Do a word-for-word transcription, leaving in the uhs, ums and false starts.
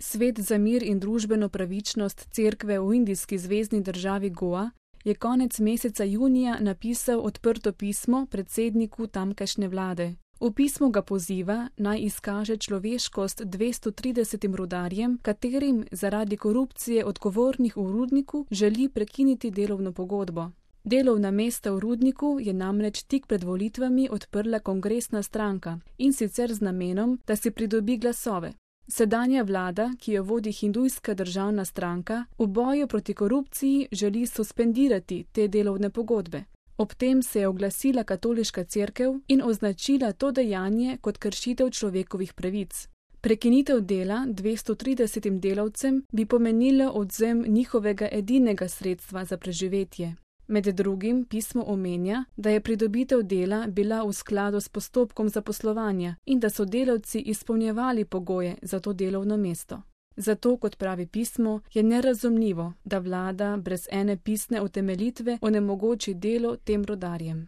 Svet za mir in družbeno pravičnost cerkve v indijski zvezni državi Goa je konec meseca junija napisal odprto pismo predsedniku tamkajšnje vlade. V pismu ga poziva, naj izkaže človeškost dvesto tridesetim rudarjem, katerim zaradi korupcije odgovornih v rudniku želi prekiniti delovno pogodbo. Delovna mesta v rudniku je namreč tik pred volitvami odprla kongresna stranka, in sicer z namenom, da si pridobi glasove. Sedanja vlada, ki jo vodi hindujska državna stranka, v boju proti korupciji želi suspendirati te delovne pogodbe. Ob tem se je oglasila katoliška cerkev in označila to dejanje kot kršitev človekovih pravic. Prekinitev dela dvesto tridesetim delavcem bi pomenilo odvzem njihovega edinega sredstva za preživetje. Med drugim pismo omenja, da je pridobitev dela bila v skladu s postopkom zaposlovanja in da so delavci izpolnjevali pogoje za to delovno mesto. Zato, kot pravi pismo, je nerazumljivo, da vlada brez ene pisne utemeljitve onemogoči delo tem rudarjem.